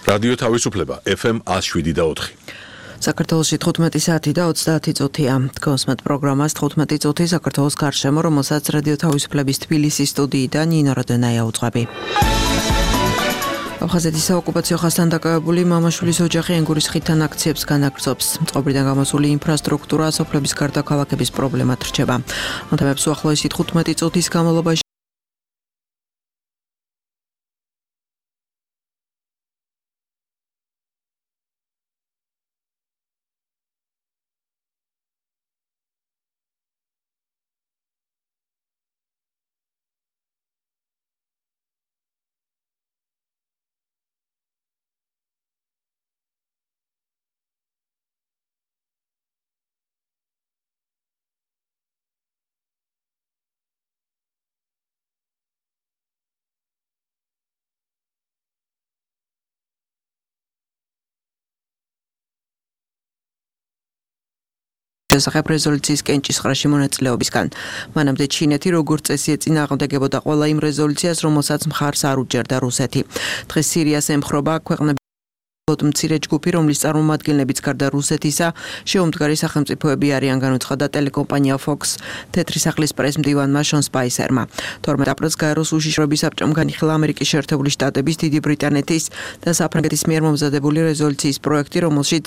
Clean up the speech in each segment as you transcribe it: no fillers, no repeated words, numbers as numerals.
რადიო თავისუფლება FM 107.4. საქართველოში 15 საათი და 30 წუთია. Დგოსმეთ პროგრამას 15 წუთი საქართველოს გარშემო, რომელსაც რადიო თავისუფლების თბილისის სტუდიიდან ნინო როდენაია უძღვები. აფხაზეთის საოკუპაციო ხაზთან დაკავებული მამაშვილის ოჯახი ენგურის ხიდთან აქციებს განაგრძობს. წყობრიდან გამოსული ინფრასტრუქტურა, სოფლების გარდა ქალაქების პრობლემად რჩება. ამ თემებს უახლოესი 15 წუთის განმავლობაში შესახებ რეზოლუციის კენჭისყრაში მონაწილეობისგან. მანამდე ჩინეთი როგორც წესი ეწინააღმდეგებოდა ყველა იმ რეზოლუციას, რომელსაც მხარს არ უჭერდა რუსეთი. დღეს სირიას ემხრობა ქვეყნები მცირე ჯგუფი, რომლის წარმომადგენლებიც გარდა რუსეთისა შეუმდგარი სახელმწიფოები არიან, განუცხადა ტელეკომპანია Fox თეთრი სახლის პრეს-მდივანმა შონ სპაისერმა. 12 აპრილს გაეროს უშიშროების საბჭომ განიხილა ამერიკის შეერთებული შტატების, დიდი ბრიტანეთის და საფრანგეთის მიერ მომზადებული რეზოლუციის პროექტი, რომელშიც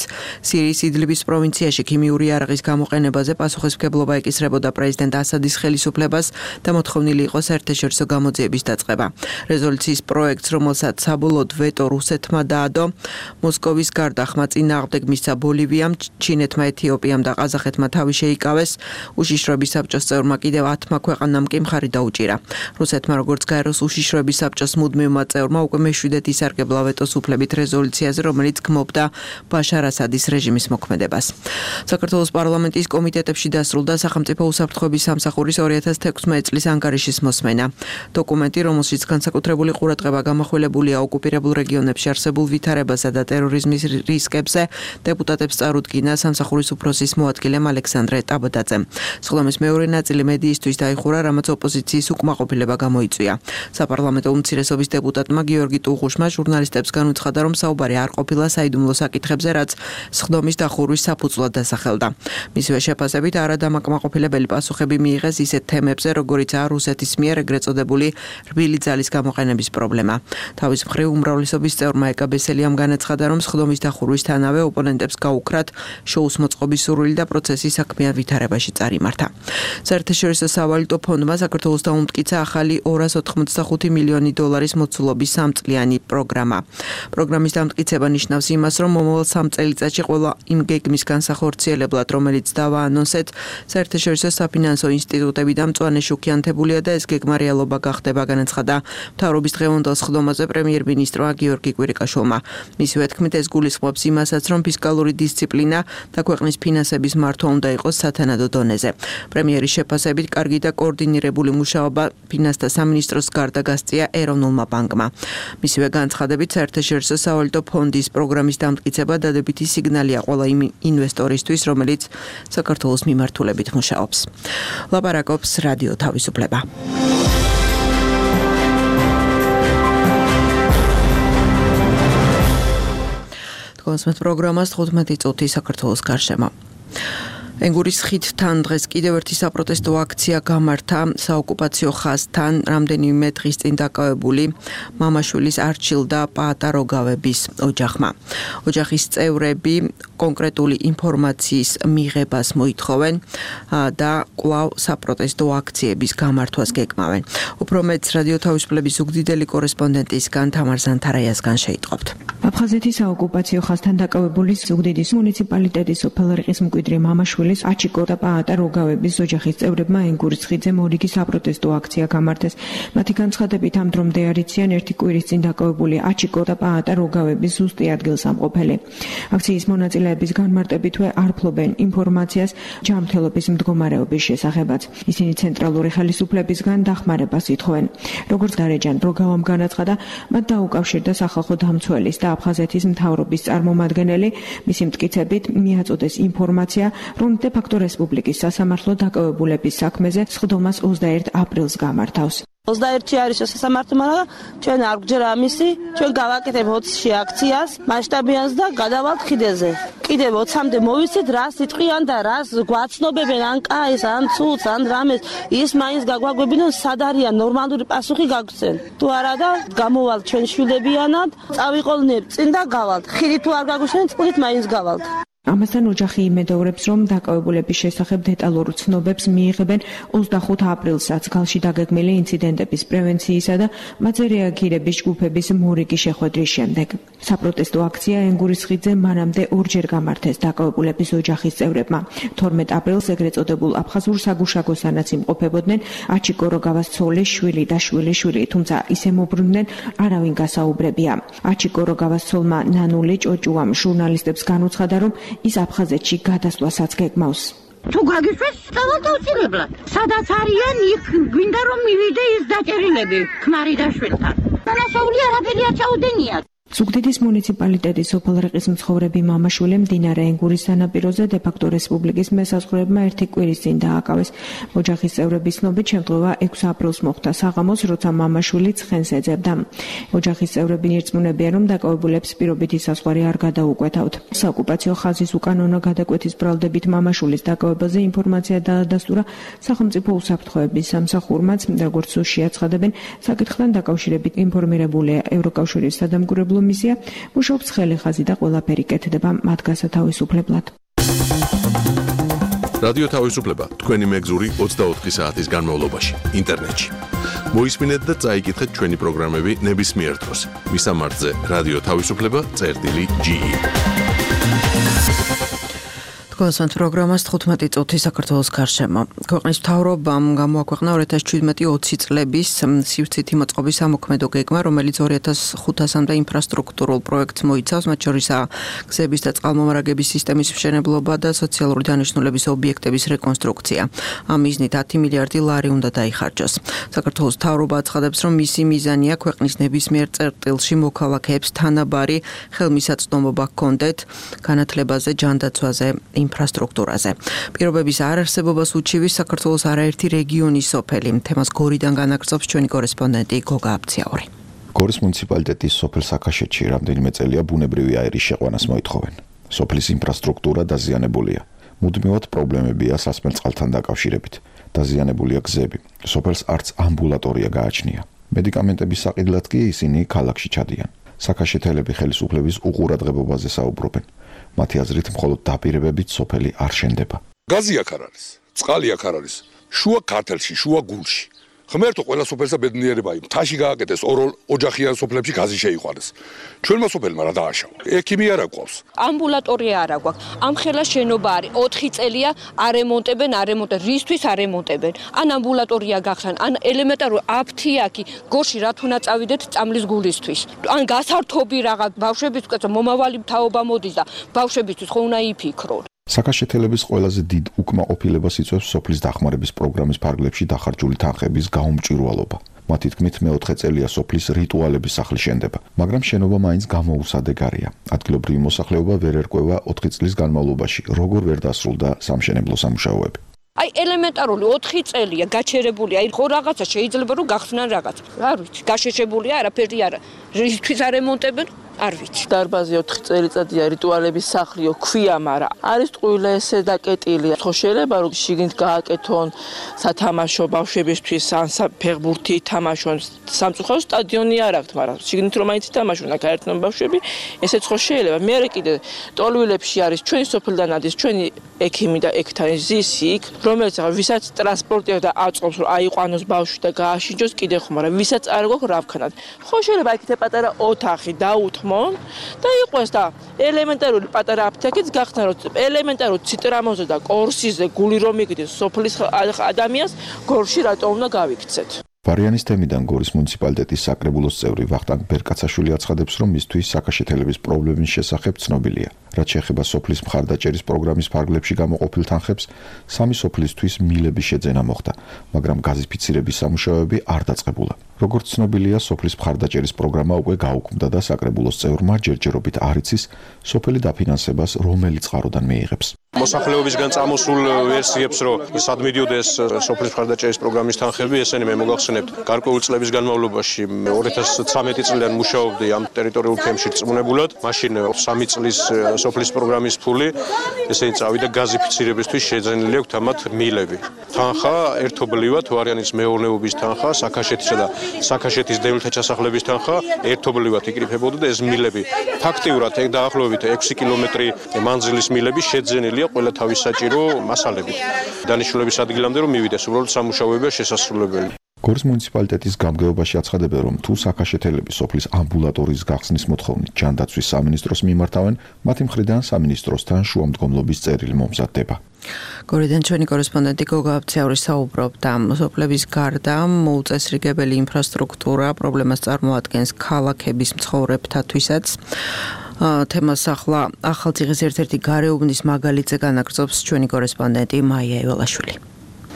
სირიის იდლიბის პროვინციაში ქიმიური იარაღის გამოყენებაზე პასუხისმგებლობა ეკისრებოდა პრეზიდენტ ასადის ხელისუფლებას და მოთხოვნილი იყო საერთაშორისო გამოძიების დაწყება. რეზოლუციის პროექტს, რომელსაც საბოლოოდ ვეტო რუსეთმა დაადო, მოსკოვის გარდა ხმა წინააღმდეგ მისცა ბოლივიამ, ჩინეთმა, ეთიოპიამ და ყაზახეთმა თავი შეიკავეს. უშიშროების საბჭოს წევრმა კიდევ 10 ქვეყანამ კი მხარი დაუჭირა. რუსეთმა, როგორც გაეროს უშიშროების საბჭოს მუდმივმა წევრმა, უკვე მეშვიდედ ისარგებლა ვეტოს უფლებით რეზოლუციაზე, რომელიც გმობდა ბაშარ ასადის რეჟიმის მოქმედებას. საქართველოს პარლამენტის კომიტეტებში დასრულდა სახელმწიფო უსაფრთხოების სამსახურის 2016 წლის ანგარიშის მოსმენა. დოკუმენტი, რომელშიც განსაკუთრებული ყურადღება გამახვილებულია ოკუპირებულ რეგიონებში არსებულ ვითარებასა და ტერორიზმის რისკებზე, დეპუტატებს წარუდგინა სამსახურის უფროსის მოადგილემ ალექსანდრე ტაბადაძემ. სხდომის მეორე ნაწილი მედიისთვის დაიხურა, რამაც ოპოზიციის უკმაყოფილება გამოიწვია. საპარლამენტო უმცირესობის დეპუტატმა გიორგი ტუღუშმა ჟურნალისტებს განუცხადა, რომ საუბარი არ ყოფილა საიდუმლო საკითხებზე, რაც სხდომის დახურვის საფუძვლად დასახელდა. მისივე შეფასებით, არადამაკმაყოფილებელი პასუხები მიიღეს ისეთ თემებზე, როგორიცაა რუსეთის მიერ ეგრეთ წოდებული რბილი ძალის გამოყენების პრობლემა. თავის მხრივ უმრავლესობის წევრმა ეკა ბესელიამ განაცხადა, რომ სხდომის დახურვისთანავე ოპონენტებს გაუქრათ შოუს მოწყობის სურვილი და პროცესი საქმიან ვითარებაში წარიმართა. საერთაშორისო სავალუტო ფონდმა საქართველოს დაუმტკიცა ახალი 285 მილიონი დოლარის მოცულობის 3 წლიანი პროგრამა. პროგრამის დამტკიცება ნიშნავს იმას, რომ მომავალ 3 წელიწადში ყველა იმ გეგმის განსახორციელებლად, რომელიც დავაანონსეთ, საერთაშორისო საფინანსო ინსტიტუტები და მწვანე შუქიანთებულია და ეს გეგმა რეალობა გახდება, განაცხადა მთავრობის დღევანდელ სხდომაზე პრემიერ-მინისტრმა გიორგი კვირიკაშვილმა. მისივე თქმით, ეს გულისხმობს იმასაც, რომ ფისკალური დისციპლინა და ქვეყნის ფინანსების მართვა უნდა იყოს სათანადო დონეზე. პრემიერის შეფასებით, კარგი და კოორდინირებული მუშაობა ფინანსთა სამინისტროს გარდა გასწია ეროვნულმა ბანკმა. მისივე განცხადებით, საერთაშორისო სავალუტო ფონდის პროგრამის დამტკიცება დადებითი სიგნალია ყველა იმ ინვესტორისთვის, რომელიც საქართველოს მიმართულებით მუშაობს. ლაპარაკობს რადიო თავისუფლება. დგოსმეთ პროგრამას 15 წუთი საქართველოს გარშემო. ენგურის ხიდთან დღეს კიდევ ერთი საპროტესტო აქცია გამართა საოკუპაციო ხაზთან რამდენიმე დღის წინ დაკავებული მამაშვილის არჩილ და პაატა როგავების ოჯახმა. ოჯახის წევრები კონკრეტული ინფორმაციის მიღებას მოითხოვენ და კვლავ საპროტესტო აქციების გამართვას გეკმავენ. უფრო მეტს რადიო თავისუფლების ზუგდიდელი კორესპონდენტისგან თამარ ზანთარაიასგან შეიტყობთ. აფხაზეთის საოკუპაციო ხაზთან დაკავებული ზუგდიდის მუნიციპალიტეტის სოფელ რიყის მკვიდრი მამაშვილის აჩიკო და პაატა როგავების ოჯახის წევრებმა ენგურის ხიდზე მორიგი საპროტესტო აქცია გამართეს. მათი განცხადებით, ამ დრომდე არიციან ერთი კვირის წინ დაკავებული აჩიკო და პაატა როგავების ზუსტი ადგილსამყოფელი. აქციის მონაწილეების განმარტებითვე არ ფლობენ ინფორმაციას ჯანმრთელობის მდგომარეობის შესახებაც. ისინი ცენტრალური ხელისუფლებისგან დახმარებას ითხოვენ. როგორც დარეჯან როგავამ განაცხადა, მათ დაუკავშირდა სახალხო დამცველის და აფხაზეთის მთავრობის წარმომადგენელი, მისი მტკიცებით მიაწოდეს ინფორმაცია, რომ დე-ფაქტო რესპუბლიკის სასამართლო დაკავებულების საქმეზე სხდომას 21 აპრილს გამართავს. 21 არის სასამართლო, მაგრამ ჩვენ არ გვჯერა ამისი, ჩვენ გავაკეთებ 20-ში აქციას, მასშტაბიანს და გადავალთ ხიდეზე. კიდევ 20-მდე მოვიცით, რას იტყვიან და რას გვაცნობებენ, ან კაის, ან ცუც, ან რამეს, ის მაინც გაგვაგვებინონ, სად არიან, ნორმალური პასუხი გაგვცენ. თუ არა და გამოვალთ ჩვენ შვილებიანად, წავიყოლნებ წინ და გავალთ. ხიდი თუ არ გაგვიშენთ, წყლით მაინც გავალთ. ამასთან ოჯახი იმედაურებს, რომ დაკავებულების შესახებ დეტალურ ცნობებს მიიღებენ 25 აპრილსაც ქალში დაგეგმილი ინციდენტების პრევენციისა და მათზე რეაგირების ჯგუფების მორიგი შეხვედრის შემდეგ. საპროტესტო აქცია ენგურის ხიდზე მანამდე ორჯერ გამართეს დაკავებულების ოჯახის წევრებმა. 12 აპრილს ეგრეთ წოდებულ აფხაზურ საგუშაგოსანაც იმყოფებოდნენ აჩიკო როგავას ცოლი, შვილი და შვილიშვილი, თუმცა ისე მოbrunდნენ, არავინ გასაუბრებია. აჩიკო როგავას ცოლმა ნანული ჭოჭუამ ჟურნალისტებს განუცხადა, რომ ის აფხაზეთში გადასვლასაც გეგმავს. თუ გაგიშვეს სწავლობ აუცილებლად. სადაც არიან, იქ გვინდა რომ მივიდე ის დაჭერილები ქმარი და შვილთან. განასწავლი არაფერი არ ჩაუდენია. ზუგდიდის მუნიციპალიტეტის სოფელ რიყის მცხოვრები მამა-შვილი მდინარე ენგურის სანაპიროზე დე-ფაქტო რესპუბლიკის მესაზღვრეებმა ერთი კვირის წინ დააკავეს. ოჯახის წევრების ცნობით შემთხვევა 6 აპრილს მოხდა საღამოს, როცა მამა-შვილი ცხენს ეძებდა. ოჯახის წევრები ნირწმუნებიან, რომ დაკავებულებს პირობითი საზღვარი არ გადაუკვეთავთ. საოკუპაციო ხაზის უკანონო გადაკვეთის ბრალდებით მამა-შვილის დაკავებაზე ინფორმაცია დაადასტურა სახელმწიფო უსაფრთხოების სამსახურმაც, როგორც შეაცხადებენ, საკითხთან დაკავშირებით ინფორმირებულია ევროკავშირის სადამკვირვებლო მისია, მუშაობს ხელი ხაზი და ყველაფერი კეთდება მათ გასათავისუფლებლად. რადიო თავისუფლება თქვენი მეგზური 24 საათის განმავლობაში ინტერნეტში. მოისმინეთ და წაიკითხეთ ჩვენი პროგრამები ნებისმიერ დროს. მისამართზე რადიო თავისუფლება.ge. გასვანთ პროგრამას 15 წუთი საქართველოს გარშემო. ქვეყნის მთავრობამ გამოაქვეყნა 2017-20 წლების სივრცითი მოწყობის ამოქმედო გეგმა, რომელიც 2500-მდე ინფრასტრუქტურულ პროექტს მოიცავს, მათ შორისაა გზების და წყალმომარაგების სისტემის მშენებლობა და სოციალური დანიშნულების ობიექტების რეკონსტრუქცია. ამ მიზნით 10 მილიარდი ლარი უნდა დაიხარჯოს. საქართველოს მთავრობა აცხადებს, რომ მისი მიზანია ქვეყნის ნებისმიერ წერტილში მოქალაქეებს თანაბარი ხელმისაწვდომობა ჰქონდეთ განათლებაზე, ჯანდაცვაზე, ინფრასტრუქტურაზე. პირობების არარსებობას უჩივის საქართველოს არაერთი რეგიონის სოფელი. თემას გორიდან განაგრძობს ჩვენი კორესპონდენტი გოგა აბციაური. გორის მუნიციპალიტეტის სოფელ საქაშეთში რამდენიმე წელია ბუნებრივი აირის შეყვანას მოითხოვენ. სოფლის ინფრასტრუქტურა დაზიანებულია. მუდმივად პრობლემებია სასმელ წყალთან დაკავშირებით. დაზიანებულია გზები. სოფელს არც ამბულატორია გააჩნია. მედიკამენტების საყიდლად კი ისინი ქალაქში ჩადიან. საქაშეთელები ხელისუფლების უყურადღებობაზე საუბრობენ. მათი აზრით მხოლოდ დაპირებებით სოფელი არ შენდება. გაზი აქ არ არის, წყალი აქ არ არის, შუა ქართლში, შუა გულში. ღმერთო ყველა სოფელსა ბედნიერება იმ თაში გააკეთეს ოჯახიან სოფლებში გაზი შეიყვანეს. ჩვენმა სოფელმა რა დააშავა? ექიმი არ აქვს. ამბულატორია არ აქვს. ამ ხელა შენობა არის 4 წელია არემონტებენ, რისთვის არემონტებენ? ან ამბულატორია გახსან, ან ელემენტარული აფთიაქი გორში რა თუნა წავიდეთ წამლის გულისთვის. ან გასართობი რაღაც ბავშვებისთვის მომავალი თაობა მოდის და ბავშვებისთვის ხო უნდა იფიქრონ. საქაშეთელების ყველაზე დიდ უკმაყოფილებას იწვევს სოფლის დახმარების პროგრამის ფარგლებში დახარჯული თანხების გაუმჭვირვალობა. მათი თქმით, მეოთხე წელია სოფლის რიტუალების სახლი შენდება, მაგრამ შენობა მაინც გამოუსადეგარია. ადგილობრივი მოსახლეობა ვერ ერკვევა 4 წლის განმავლობაში, როგორ ვერ დასრულდა სამშენებლო სამუშაოები. აი ელემენტარული 4 წელია გაჩერებული, აი ხო რაღაცა შეიძლება რომ გახსნან რაღაც. არ ვიცი, გაშეშებული არაფერი არა. რისთვის არემონტებენ? არ ვიცი. დარბაზი 4 წელიწადია რიტუალების სახლიო ქვია, მაგრამ არის ტყუილე ესე დაკეტილი. ხო შეიძლება რომ შიგნით გააკეთონ სათამაშო ბავშვებისთვის, ან ფეხბურთი ითამაშონ. სამწუხარო სტადიონი არ აქვს, მაგრამ შიგნით რომ მაინც ითამაშონ, აქ აერთონ ბავშვები, ესეც ხო შეიძლება. მე კიდე ტოლვილებში არის ჩვენი სოფლიდან ადის ჩვენი ექიმი და ექთანი ზისი იქ, რომელიც ვისაც ტრანსპორტი და აწყობს რომ აიყვანოს ბავშვი და გააშინჯოს კიდე ხო, მაგრამ ვისაც არ გვაქვს რა ვქნათ. ხო შეიძლება იქ პატარა ოთახი დაუთმონ და იყოს და ელემენტარული პატარა აფთიაქიც გახსნა რომ ელემენტარულ ციტრამოზე და კორსიზე გული რომ იგდეს სოფლის ადამიანს გორში რატო უნდა გავიქცეთ. ვარიანის თემიდან გორის მუნიციპალიტეტის საკრებულოს წევრი ვახტანგ ბერკაცაშვილი აცხადებს, რომ მისთვის საქაშეთელების პრობლემის შესახებ ცნობილია. რაც შეეხება სოფლის მხარდაჭერის პროგრამის ფარგლებში გამოყოფილ თანხებს, სამი სოფლისთვის მილების შეძენა მოხდა, მაგრამ გაზიფიცირების სამუშაოები არ დაწყებულა. როგორც ცნობილია, სოფლის მხარდაჭერის პროგრამა უკვე გაუქმდა და საკრებულოს წევრმა ჯერჯერობით არ იცის სოფელი დაფინანსებას რომელი წყაროდან მიიღებს. მოსახლეობისგან წამოსულ ვერსიებს, რომ სად მიდიოდეს სოფლის მხარდაჭერის პროგრამის თანხები, ესენი მე მოგახსენებთ, გარკვეული წლების განმავლობაში 2013 წლიდან მუშაობდი ამ ტერიტორიულ თემში წმუნებულად, მაშინ 3 წლის სოფლის პროგრამის ფული, ესენი წავიდა გაზიფიცირებისთვის შეძენილი აქვს ამათ მილები. თანხა ერთობლივად ვარიანის მეურნეობის თანხა, საქაშეთისა და საქაშეთის დევნილთა ჩასახლების თანხა ერთობლივად იკრიფებოდა და ეს მილები ფაქტიურად დაახლოებით 6 კილომეტრი მანძილის მილები შეძენილია ყველა თავის საჭირო მასალებით. დანიშნულების ადგილამდე რომ მივიდეს, უბრალოდ სამუშაოებია შესასრულებელი. გორის მუნიციპალიტეტის გამგეობაში აცხადებენ, რომ თუ საქაშეთელები სოფლის ამბულატორიის გახსნის მოთხოვნით ჯანდაცვის სამინისტროს მიმართავენ, მათი მხრიდან სამინისტროსთან შუამდგომლობის წერილი მომზადდება. გორიდან ჩვენი კორესპონდენტი გოგა აბციაური საუბრობდა, სოფლების გარდა მოუწესრიგებელი ინფრასტრუქტურა პრობლემას წარმოადგენს ქალაქების მცხოვრებთათვისაც. თემას ახლა ახალციხის ერთ-ერთი გარეუბნის მაგალითზე განაგრძობს ჩვენი კორესპონდენტი მაია ეველაშვილი.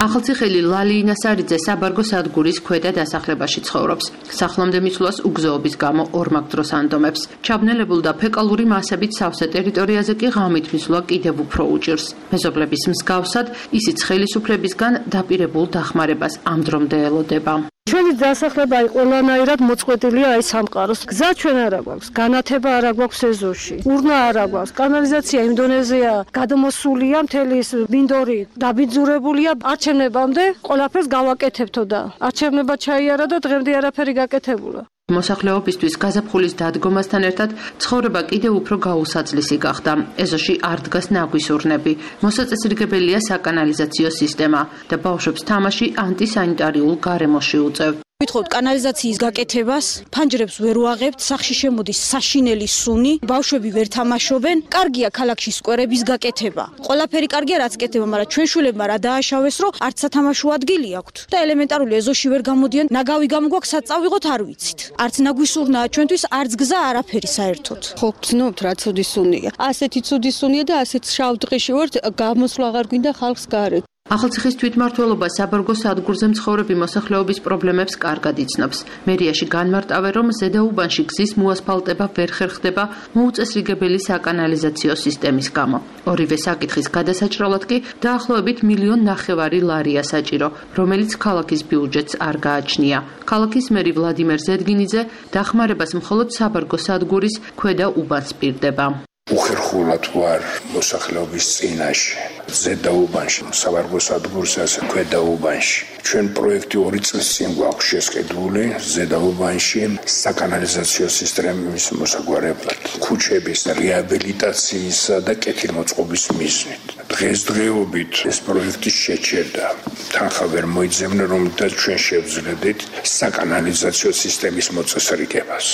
ახალციხელი ლალინა სარიძე საბარგო სადგურის ქვედა დასახლებაში ცხოვრობს. სახლამდე მისვლას უგზოობის გამო ორმაგ დროს ანდომებს. ჩაბნელებულ და ფეკალური მასებით სავსე ტერიტორიაზე კი ღამით მისვლა კიდევ უფრო უჭირს. მეზობლების მსგავსად, ისიც ხელისუფლებისგან დაპირებულ დახმარებას ამ დრომდე ელოდება. ჩვენი დასახლება ყველანაირად მოწყვეტილია აი სამყაროს. გზა ჩვენ არ აქვს, განათება არ აქვს ეზოში, ურნა არ აქვს, კანალიზაცია იმ დონეზეა გადმოსულია, მთელი ეს მინდორი დაბიძურებულია. არჩევნებამდე ყველაფერს გავაკეთებთო და არჩევნება ჩაიარა და დღემდე არაფერი გაკეთებულა. მოსახლეობისთვის გაზაფხულის დადგომასთან ერთად ცხოვრება კიდევ უფრო გაუსაძლისი გახდა. ეზოში არ დგას ნაგვის ურნები, მოსაწესრიგებელია საკანალიზაციო სისტემა და ბავშვებს თამაში ანტისანიტარიულ გარემოში უწევთ. Ვითხოთ კანალიზაციის გაკეთებას, ფანჯრებს ვერ ვაღებთ, სახში შემოდის საშინელი სუნი, ბავშვები ვერ თამაშობენ. კარგია ქალაქში სკვერების გაკეთება. ყველაფერი კარგია, რაც კეთება, მაგრამ ჩვენ შვილებმა რა დააშავეს, რომ არც სათამაშო ადგილი აქვთ და ელემენტარული ეზოში ვერ გამოდიან. ნაგავი გამოგვაქვს, სად წავიღოთ არ ვიცით. არც ნაგვის სურნაა ჩვენთვის, არც გზა არაფერი საერთოდ. ხო გძნობთ რა ცუდი სუნია. ასეთი ცუდი სუნია და ასეთ შავ დღეში ვართ, გამოსვლა აღარ გვინდა ხალხს გარეთ. ახალციხის თვითმმართველობა საბარგო სადგურზე მცხოვრები მოსახლეობის პრობლემებს კარგად იცნობს. მერიაში განმარტავენ, რომ ზედაუბანში გზის მოასფალტება ვერ ხერხდება მოუწესრიგებელი საკანალიზაციო სისტემის გამო. ორივე საკითხის გადასაჭრელად კი დაახლოებით 1,5 მილიონ ლარია საჭირო, რომელიც ქალაქის ბიუჯეტს არ გააჩნია. ქალაქის მერი ვლადიმერ ზედგინიძე დახმარებას მხოლოდ საბარგო სადგურის ქვედა უბანს პირდება. უხერხულად ვარ მოსახლეობის წინაშე. ზედაუბანში, საბარგო სადგურს ასე ქვედაუბანში. ჩვენ პროექტი 2 წლის წინ გვაქვს შესყიდული ზედაუბანში საკანალიზაციო სისტემის მოსაგვარებლად, ქუჩების რეაბილიტაციისა და კეთილმოწყობის მიზნით. დღესდღეობით ეს პროექტი შეჩერდა. თანხა ვერ მოიძებნა, რომელთაც ჩვენ შევძლებდით საკანალიზაციო სისტემის მოწესრიგებას.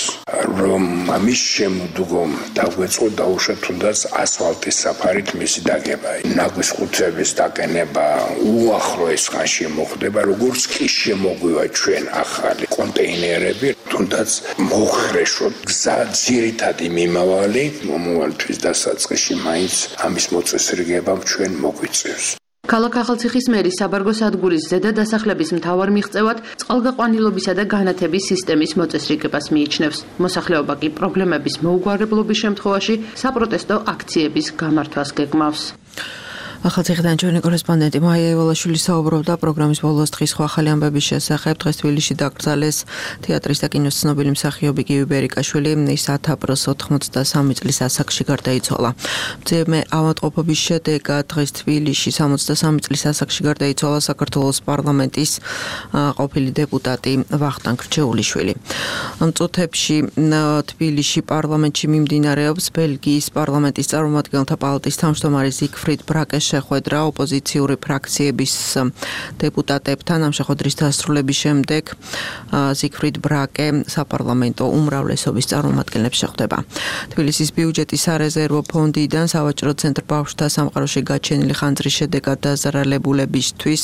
რომ ამის შემდგომ დაგვეწყო დაუშვა თუნდაც ასფალტის საფარით მისი დაგება. ნაგვის ხუთების დაყენება უახლოეს ხანში მოხდება, როგორც კი შემოგვივა ჩვენ ახალი კონტეინერები, თუნდაც მოხრეშოთ გზა ძირითადი მიმავალი მომავალთვის დასაწყისში მაინც ამის მოწესრიგებამ ჩვენ მოგვიწევს. ქალაქ ახალციხის მერი საბარგო სადგურის ზედა დასახლების მთავარ მიღწევად წყალგაყვანილობისა და განათების სისტემის მოწესრიგებას მიიჩნევს. მოსახლეობა კი პრობლემების მოუგვარებლობის შემთხვევაში საპროტესტო აქციების გამართვას გეგმავს. ახალციხიდან ჩვენი კორესპონდენტი მაია ეველაშვილი საუბრობდა პროგრამის ბოლოს დღის სხვა ახალი ამბების შესახებ. დღეს თბილისში დაკრძალეს თეატრის და კინოს ცნობილი მსახიობი გივი ბერიკაშვილი. ის 10 აპრილს 83 წლის ასაკში გარდაიცვალა. მძიმე ავადმყოფობის შედეგად დღეს თბილისში 63 წლის ასაკში გარდაიცვალა საქართველოს პარლამენტის ყოფილი დეპუტატი ვახტანგ რჩეულიშვილი. ამ წუთებში თბილისში პარლამენტში მიმდინარეობს ბელგიის პარლამენტის წარმომადგენელთა პალატის თავმჯდომარე ზიგფრიდ ბრაკეს შეხვედრა ოპოზიციური ფრაქციების დეპუტატებთან. ამ შეხვედრის დასრულების შემდეგ ზიგფრიდ ბრაკე საპარლამენტო უმრავლესობის წარმომადგენლებს შეხვდება. თბილისის ბიუჯეტის სარეზერვო ფონდიდან სავაჭრო ცენტრ ბავშვთა სამყაროში გაჩენილი ხანძრის შედეგად დაზარალებულებისთვის